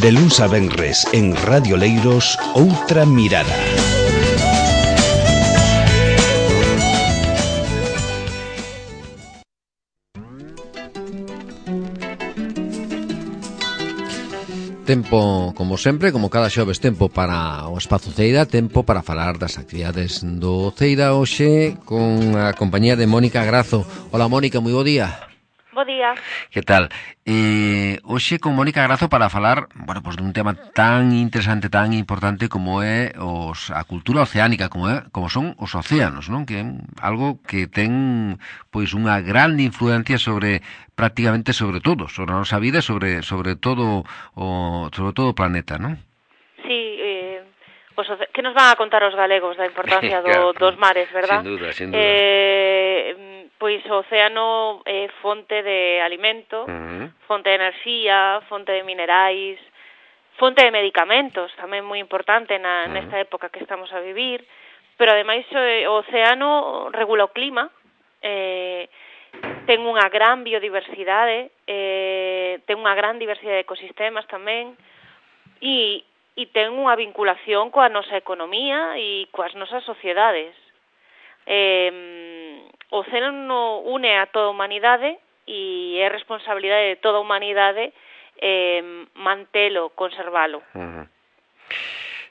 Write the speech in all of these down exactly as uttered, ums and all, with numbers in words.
De luns a venres en Radio Leiros, Outra Mirada. Tempo, como sempre, como cada xoves, tempo para o Espazo Ceira, tempo para falar das actividades do Ceira hoxe con a compañía de Mónica Grazo. Hola, Mónica, moi bo día. Bo día. Que tal? Eh, hoxe con Mónica Grazo para falar, bueno, pues dun tema tan interesante, tan importante como é os, a cultura oceánica, como é, como son os océanos, non? Que é algo que ten pois unha grande influencia sobre prácticamente sobre todo, sobre a nosa vida, sobre sobre todo o sobre todo o planeta, non? Sí, eh, os oce... que nos van a contar os galegos da importancia do, claro, dos mares, verdad? Sin duda, sin duda. Eh, pois o océano é fonte de alimento, uh-huh. fonte de enerxía, fonte de minerais, fonte de medicamentos, tamén moi importante na, uh-huh. nesta época que estamos a vivir, pero ademais o océano regula o clima, eh, ten unha gran biodiversidade, eh, ten unha gran diversidade de ecosistemas tamén, e, e ten unha vinculación coa nosa economía e coas nosas sociedades. Eh, o océano une a toda a humanidade e é responsabilidade de toda a humanidade eh, mantelo, conservalo. Uh-huh.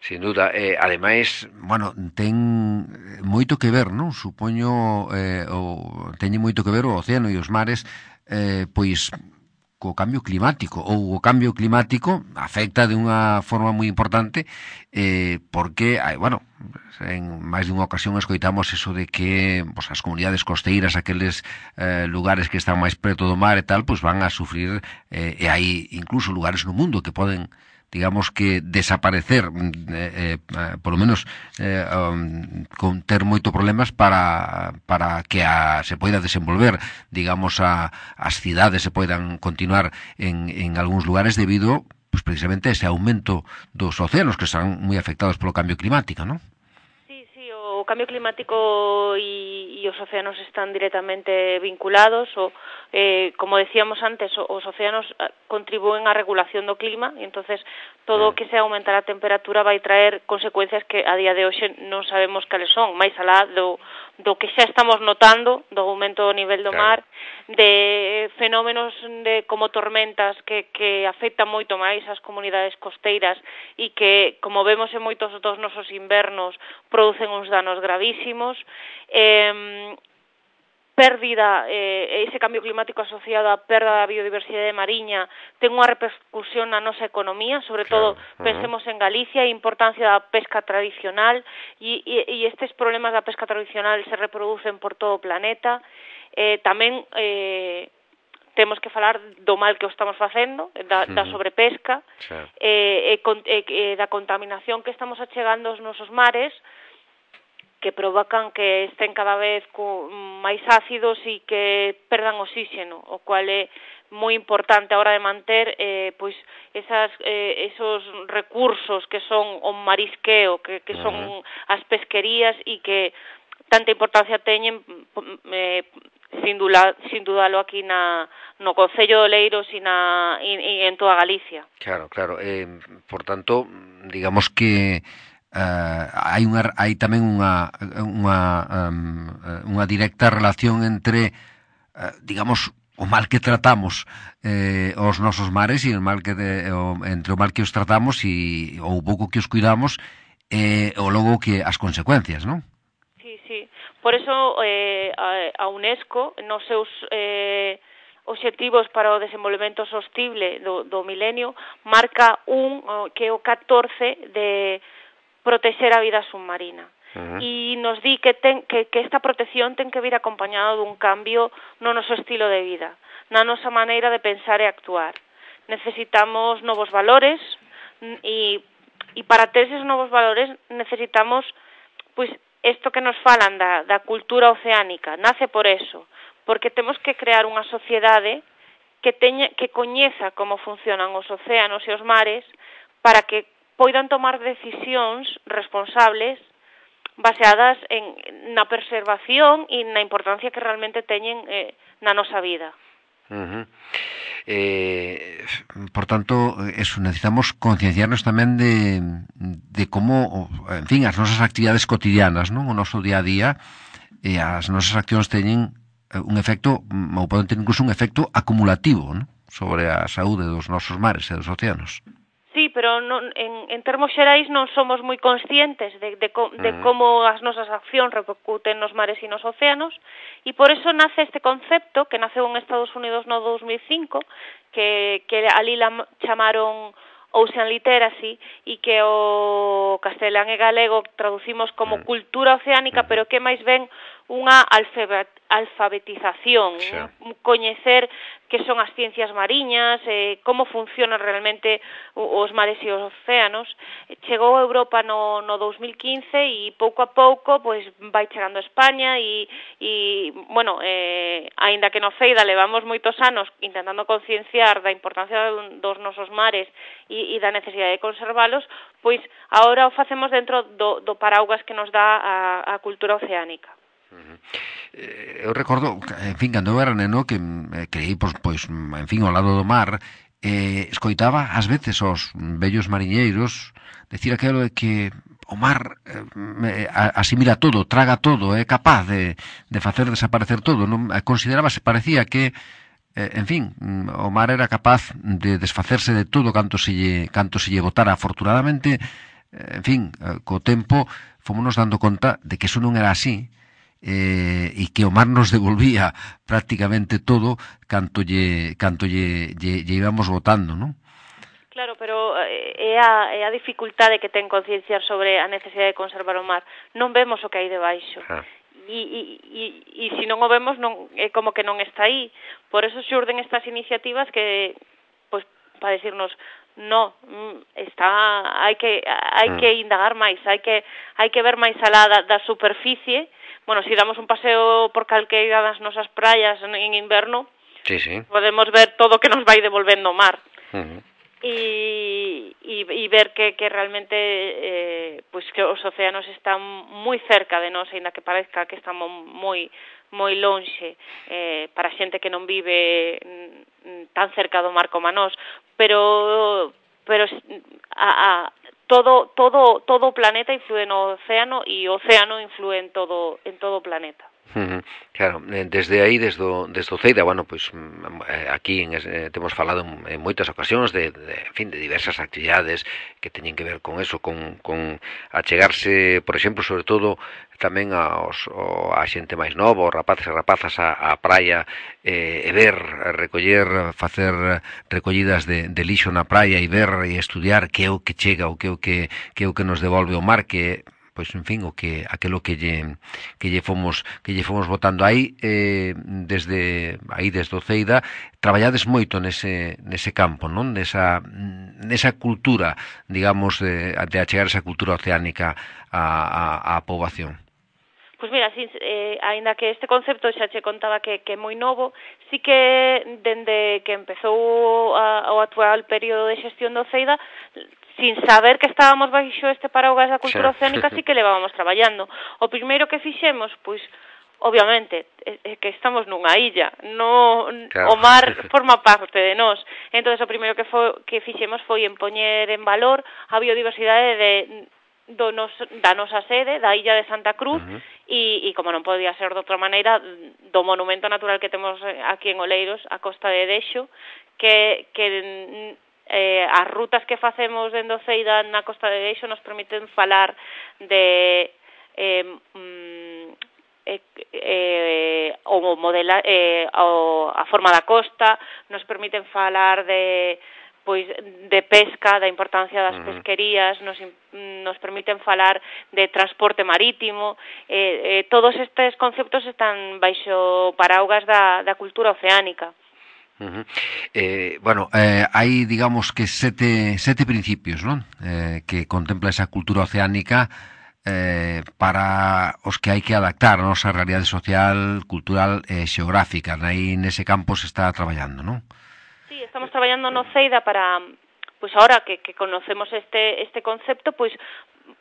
Sin duda, eh, ademais, bueno, ten moito que ver, non? Supoño, eh, o, teñen moito que ver o océano e os mares, eh, pois, co cambio climático, ou o cambio climático afecta de unha forma moi importante, eh, porque, bueno, en máis dunha ocasión escoitamos eso de que pues, as comunidades costeiras, aqueles eh, lugares que están máis preto do mar e tal, pues van a sufrir, eh, e hai incluso lugares no mundo que poden, digamos que desaparecer, eh, eh, por lo menos eh, um, con ter moito problemas para para que a, se poida desenvolver, digamos, a, as cidades se poidan continuar en, en algúns lugares debido, pues, precisamente a ese aumento dos océanos que están moi afectados polo cambio climático, non? Sí, sí, o cambio climático e, e os océanos están directamente vinculados, o Eh, como decíamos antes, os océanos contribúen á regulación do clima e entonces todo o que sea aumentar a temperatura vai traer consecuencias que a día de hoxe non sabemos cales son, máis alá do, do que xa estamos notando do aumento do nivel do mar, de fenómenos de como tormentas que, que afectan moito máis as comunidades costeiras e que, como vemos en moitos dos nosos invernos, producen uns danos gravísimos, eh, pérdida, eh, ese cambio climático asociado á perda da biodiversidade mariña ten unha repercusión na nosa economía, sobre claro. todo uh-huh. pensemos en Galicia e a importancia da pesca tradicional e, e, e estes problemas da pesca tradicional se reproducen por todo o planeta. Eh, tamén eh, temos que falar do mal que o estamos facendo, da, uh-huh. da sobrepesca, sí. eh, e, e, e da contaminación que estamos achegando aos nosos mares, que provocan que estén cada vez máis ácidos e que perdan oxígeno, o cual é moi importante a hora de manter eh, pois esas, eh, esos recursos que son o marisqueo, que, que son uh-huh. as pesquerías e que tanta importancia teñen eh, sin, dula, sin dudalo aquí na, no Concello de Oleiros e, na, e, e en toda Galicia. Claro, claro. Eh, por tanto, digamos que Uh, hai unha hai tamén unha unha um, unha directa relación entre uh, digamos o mal que tratamos eh, os nosos mares e o mal que de, o, entre o mal que os tratamos e o pouco que os cuidamos e eh, o logo que as consecuencias, non? Sí, sí. Por eso eh, a UNESCO nos seus eh, obxectivos para o desenvolvemento sostible do, do milenio marca un que é o catorce de protexer a vida submarina. Uh-huh. E nos di que, ten, que, que esta protección ten que vir acompañado dun cambio no noso estilo de vida, na nosa maneira de pensar e actuar. Necesitamos novos valores e, e para ter esos novos valores necesitamos, pois, isto que nos falan da, da cultura oceánica, nace por eso, porque temos que crear unha sociedade que, teña, que coñeza como funcionan os océanos e os mares para que poidan tomar decisións responsables baseadas en, na preservación e na importancia que realmente teñen eh, na nosa vida. Uh-huh. Eh, por tanto, eso, necesitamos concienciarnos tamén de, de como, en fin, as nosas actividades cotidianas, non? O noso día a día, e as nosas accións teñen un efecto, ou poden ter incluso un efecto acumulativo, non? Sobre a saúde dos nosos mares e dos océanos. Sí, pero non, en, en termos xerais non somos moi conscientes de, de, de como as nosas accións repercuten nos mares e nos océanos, e por eso nace este concepto, que naceu en Estados Unidos no dos mil cinco, que, que ali la chamaron Ocean Literacy, e que o castelán e galego traducimos como cultura oceánica, pero que máis ben unha alfabetización, sí. Coñecer que son as ciencias mariñas, eh, como funcionan realmente os mares e os océanos. Chegou a Europa no, no dos mil quince e pouco a pouco pois vai chegando a España e, e bueno, eh, aínda que no Feida levamos moitos anos intentando concienciar da importancia dos nosos mares e, e da necesidade de conservalos, pois agora o facemos dentro do, do paraugas que nos dá a, a cultura oceánica. Uh-huh. Eh, eu recordo, en fin, cando eu era neno que eh, creí, pois, pois, en fin, ao lado do mar, eh, escoitaba ás veces os vellos mariñeiros decir aquilo de que o mar eh, asimila todo, traga todo, é capaz de, de facer desaparecer todo, non? Considerábase, parecía que eh, en fin, o mar era capaz de desfacerse de todo canto se lle, canto se lle botara. Afortunadamente, eh, en fin, eh, co tempo fomos dando conta de que eso non era así, eh, e que o mar nos devolvía prácticamente todo canto lle, canto lle, lle, lle íbamos botando, non? Claro, pero é a, é a dificultade que ten concienciar sobre a necesidade de conservar o mar. Non vemos o que hai debaixo. Ah. E, e, e, e se non o vemos, non, é como que non está aí. Por eso xurden estas iniciativas que, pois, para decirnos, no, está, hai que hai que indagar máis, hai que hai que ver máis alá da, da superficie. Bueno, si damos un paseo por calqueira das nosas praias en inverno, sí, sí. Podemos ver todo o que nos vai devolvendo o mar. Uh-huh. E, e, e ver que, que realmente eh, pues que os océanos están moi cerca de nós, ainda que parezca que estamos moi moi lonxe eh, para xente que non vive tan cerca do mar como a nós, pero pero a, a todo todo todo o planeta influe no océano e o océano influe en todo en todo o planeta. Uh-huh. Claro, desde aí, desde o, desde o Ceida, bueno, pois aquí en, eh, temos falado en, en moitas ocasións de, de, en fin, de diversas actividades que teñen que ver con eso, con, con achegarse, por exemplo, sobre todo tamén aos, a xente máis nova, os rapaces e rapazas a, a praia, eh, e ver, recoller, facer recollidas de, de lixo na praia e ver e estudiar que é o que chega, o que é o que, que é o que nos devolve o mar, que pois en fin, o que aquilo que lle que lle fomos que lle fomos botando aí, eh, desde aí desde o Ceida, traballades moito nese nese campo, non? Nesa nesa cultura, digamos, de, de achegar esa cultura oceánica á a, a poboación. Pois mira, sí, eh, aínda que este concepto xa che contaba que, que é moi novo, sí que dende que empezou a, o actual período de xestión do Ceida, sin saber que estábamos baixo este paraugas da cultura sí. oceánica, sí que levábamos traballando. O primeiro que fixemos, pois, obviamente, é que estamos nunha illa, no, claro. O mar forma parte de nós. Entón, o primeiro que, foi, que fixemos foi en poñer en valor a biodiversidade de, do nos, da nosa sede, da illa de Santa Cruz, uh-huh. e, e, como non podía ser de outra maneira, do monumento natural que temos aquí en Oleiros, a Costa de Dexo, que... que Eh, as rutas que facemos dende o Ceida na Costa de Dexo nos permiten falar de eh, mm, eh, eh, o modela, eh, o, a forma da costa, nos permiten falar de pois de pesca, da importancia das uh-huh. pesquerías, nos, nos permiten falar de transporte marítimo, eh, eh, todos estes conceptos están baixo paraugas da, da cultura oceánica. Uh-huh. Eh, bueno, eh, hai, digamos, que sete, sete principios, non? Eh, que contempla esa cultura oceánica eh, para os que hai que adaptar a nosa realidade social, cultural e xeográfica. Aí nese campo se está traballando, non? Sí, estamos traballando no Ceida para, pois agora que, que conocemos este este concepto, pois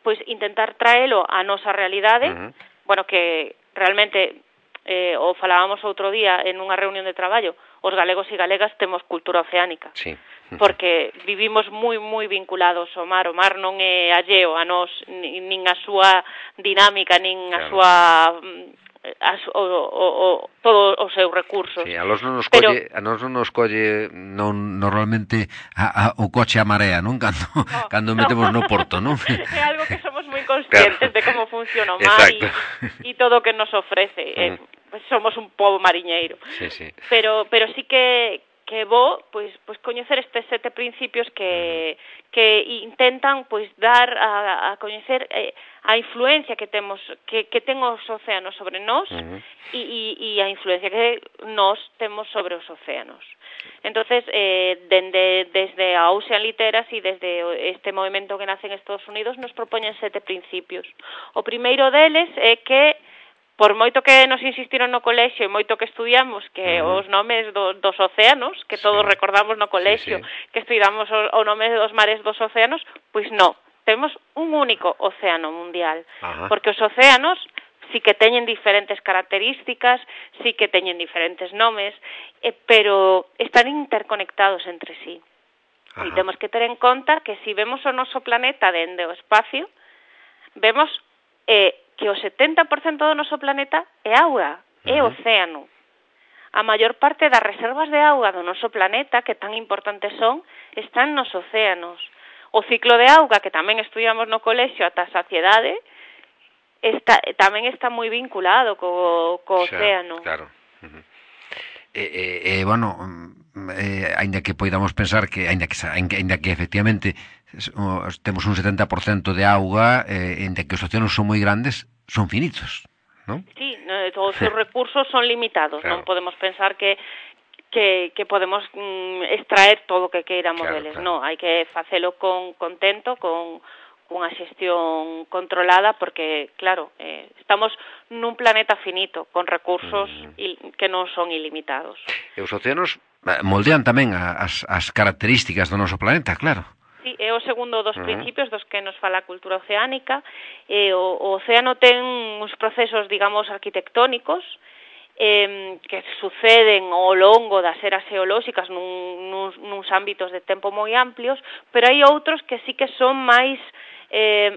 pois intentar traelo a nosa realidade, uh-huh. bueno, que realmente eh, o falábamos outro día en unha reunión de traballo, os galegos e galegas temos cultura oceánica. Sí. porque vivimos moi moi vinculados ao mar. O mar non é alleo a nós, nin a súa dinámica, nin a súa As, o, o, o, todos os seus recursos. Sí, a nós non nos Pero, colle, a nós non nos colle non normalmente a, a, o coche a marea, non? Cando no, cando metemos no porto, non? É algo que somos moi conscientes claro. de como funciona o mar e todo o que nos ofrece. Mm. Eh, pues somos un pobo mariñeiro. Sí, sí. Pero pero sí que que bo, pois pois coñecer estes sete principios que mm. que intentan pois dar a, a coñecer eh, a influencia que temos que que ten os océanos sobre nós uh-huh. e, e, e a influencia que nós temos sobre os océanos. Entonces, eh, dende, desde a Ocean Literacy, desde este movimento que nace en Estados Unidos, nos propoñen sete principios. O primeiro deles é que por moito que nos insistiron no colexio e moito que estudiamos que uh-huh. os nomes do, dos océanos, que todos sí. recordamos no colexio, sí, sí. que estudiamos o, o nome dos mares dos océanos, pois non, temos un único océano mundial, uh-huh. porque os océanos sí que teñen diferentes características, sí que teñen diferentes nomes, eh, pero están interconectados entre sí. Uh-huh. E temos que ter en conta que se vemos o noso planeta dende o espacio, vemos eh, que o setenta por cento do noso planeta é auga, é uh-huh. océano. A maior parte das reservas de auga do noso planeta, que tan importantes son, están nos océanos. O ciclo de auga, que tamén estudiamos no colexio ata a saciedade, está, tamén está moi vinculado co, co xa, océano. Claro. Uh-huh. E, e, e, bueno, eh, ainda que poidamos pensar que, ainda que, ainda que efectivamente temos un setenta por cento de auga, eh, ainda que os océanos son moi grandes, son finitos, non? Sí, todos os recursos son limitados, claro. Non podemos pensar que que, que podemos mm, extraer todo o que queiramos claro, deles, claro. Non, hai que facelo con contento, con unha xestión controlada, porque, claro, eh, estamos nun planeta finito, con recursos mm. il, que non son ilimitados. E os océanos moldean tamén as, as características do noso planeta, claro. Sí, é o segundo dos uh-huh. principios dos que nos fala a cultura oceánica. Eh, o, o océano ten uns procesos, digamos, arquitectónicos eh, que suceden ao longo das eras geolóxicas nun, nuns, nuns ámbitos de tempo moi amplios, pero hai outros que sí que son máis eh,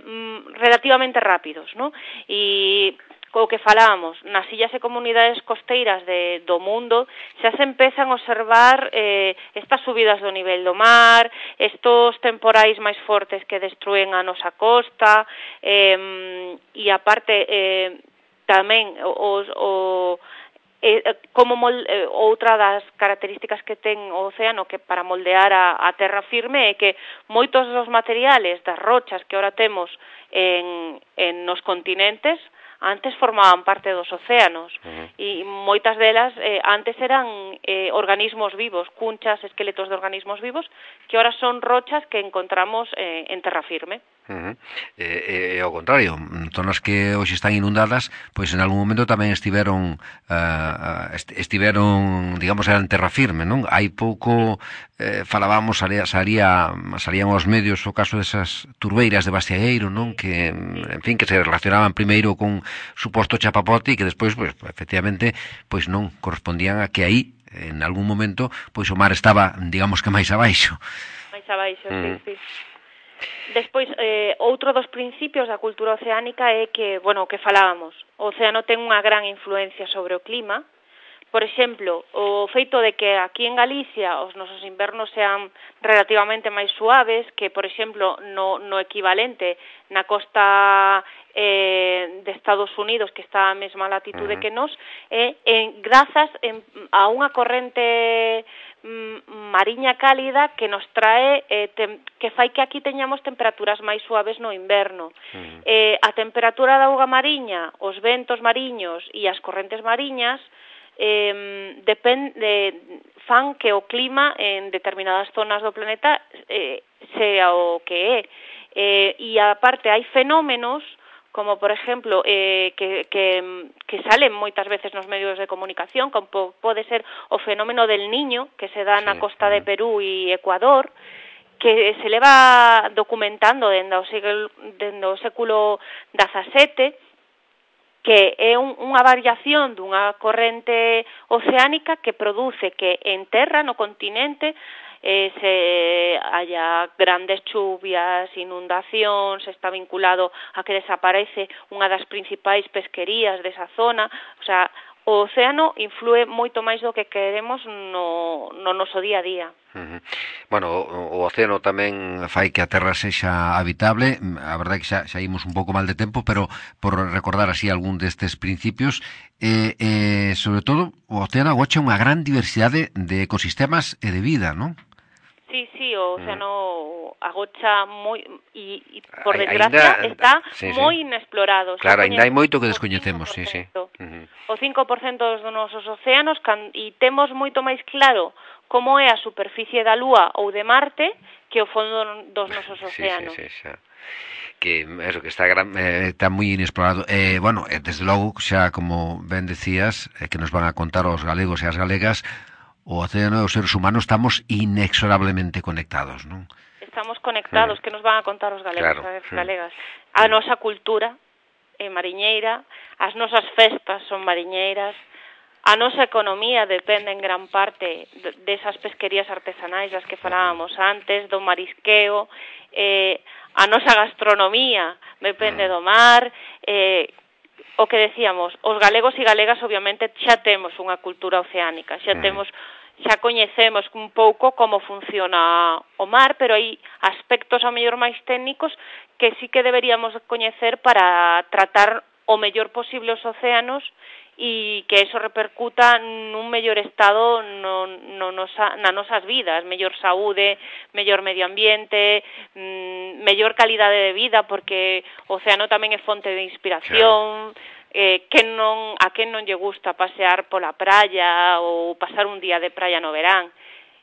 relativamente rápidos, ¿no? E o que falábamos, nas illas e comunidades costeiras de, do mundo xa se empezan a observar eh, estas subidas do nivel do mar, estos temporais máis fortes que destruen a nosa costa, eh, e aparte eh, tamén os, o, eh, como mol, eh, outra das características que ten o océano que para moldear a, a terra firme é que moitos dos materiales das rochas que ahora temos en, en nos continentes antes formaban parte dos océanos uh-huh. e moitas delas eh, antes eran eh, organismos vivos, cunchas, esqueletos de organismos vivos que ahora son rochas que encontramos eh, en terra firme. Uh-huh. E, e ao contrario, zonas que hoxe están inundadas, pois en algún momento tamén estiveron uh, estiveron, digamos, eran terra firme, non? Hai pouco eh, falábamos, salía, salía, salían aos medios o caso desas turbeiras de Bastiagueiro, non? Que, en fin, que se relacionaban primeiro con suposto chapapote e que despois, pois, efectivamente, pois non correspondían a que aí, en algún momento, pois o mar estaba, digamos que máis abaixo. Máis abaixo, mm. sí, sí. Despois, eh, outro dos principios da cultura oceánica é que, bueno, o que falábamos, o océano ten unha gran influencia sobre o clima. Por exemplo, o feito de que aquí en Galicia os nosos invernos sean relativamente máis suaves que, por exemplo, no, no equivalente na costa eh, de Estados Unidos, que está a mesma latitude uh-huh. que nos, eh, en, grazas en, a unha corrente mariña cálida que nos trae eh, tem, que fai que aquí teñamos temperaturas máis suaves no inverno. Uh-huh. Eh, a temperatura da auga mariña, os ventos mariños e as correntes mariñas eh, depend, de, fan que o clima en determinadas zonas do planeta eh, sea o que é. Eh, e aparte hai fenómenos como por exemplo eh, que, que, que salen moitas veces nos medios de comunicación, como pode ser o fenómeno del Niño, que se dá sí, na costa sí. de Perú e Ecuador, que se leva documentando dende o século, dende o século dezasete, que é un, unha variación dunha corrente oceánica que produce que en terra, no continente, eh, se haya grandes chuvias, inundacións, está vinculado a que desaparece unha das principais pesquerías desa zona, o sea, o océano influe moito máis do que queremos no, no noso día a día. Uh-huh. Bueno, o, o océano tamén fai que a terra sexa habitable. A verdade que xa, xa imos un pouco mal de tempo, pero por recordar así algún destes principios, eh, eh, sobre todo o océano agocha unha gran diversidade de ecosistemas e de vida, non? Sí, sí, o océano agocha moi e, e por Ai, desgracia ainda, está sí, moi sí. inexplorado. Claro, ainda hai moito que descoñecemos, sí, sí. Uh-huh. O cinco por cento dos nosos océanos can, e temos moito máis claro como é a superficie da Lúa ou de Marte que o fondo dos nosos océanos. Sí, sí, sí, xa. Que eso que está gran, eh, está moi inexplorado. Eh, bueno, eh, desde logo, xa como ben decías, eh, que nos van a contar os galegos e as galegas, o océano e os seres humanos estamos inexorablemente conectados, non? Estamos conectados, sí. Que nos van a contar os galegos claro, e as sí. galegas. A nosa cultura é mariñeira, as nosas festas son mariñeiras, a nosa economía depende en gran parte desas pesquerías artesanais das que falábamos antes, do marisqueo, eh, a nosa gastronomía depende do mar, eh, o que decíamos, os galegos e galegas obviamente xa temos unha cultura oceánica, xa temos xa coñecemos un pouco como funciona o mar, pero hai aspectos a mellor máis técnicos que sí que deberíamos coñecer para tratar o mellor posible os océanos e que eso repercuta nun mellor estado no, no nosa, nas nosas vidas, mellor saúde, mellor medio ambiente, mmm, mellor calidade de vida, porque o océano tamén é fonte de inspiración, claro. Eh, que non, a quen non lle gusta pasear pola praia ou pasar un día de praia no verán,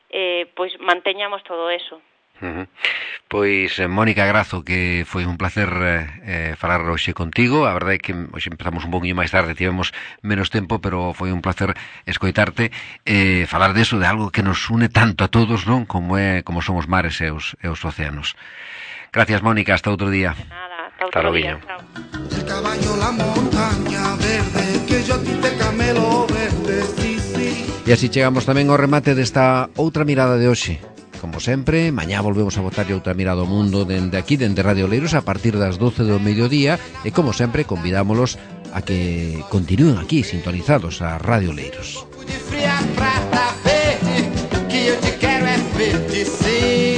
eh, pois manteñamos todo eso. Uh-huh. Pois, eh, Mónica Grazo, que foi un placer eh, falar hoxe contigo. A verdade é que hoxe empezamos un poquinho máis tarde, tivemos menos tempo, pero foi un placer escoitarte eh, falar deso, de algo que nos une tanto a todos, non? Como é, como son os mares e os, e os océanos. Gracias, Mónica, hasta outro día. De nada, hasta outro día. Chao. El caballo, la montaña verde, que yo a ti te camelo verde, sí, sí. E así chegamos tamén ao remate desta outra mirada de hoxe. Como sempre, mañá volvemos a botarlle outra mirada ao mundo dende aquí, dende Radio Oleiros, a partir das doce do mediodía, e como sempre, convidámolos a que continúen aquí, sintonizados a Radio Oleiros. Que eu te quero é verde, sim.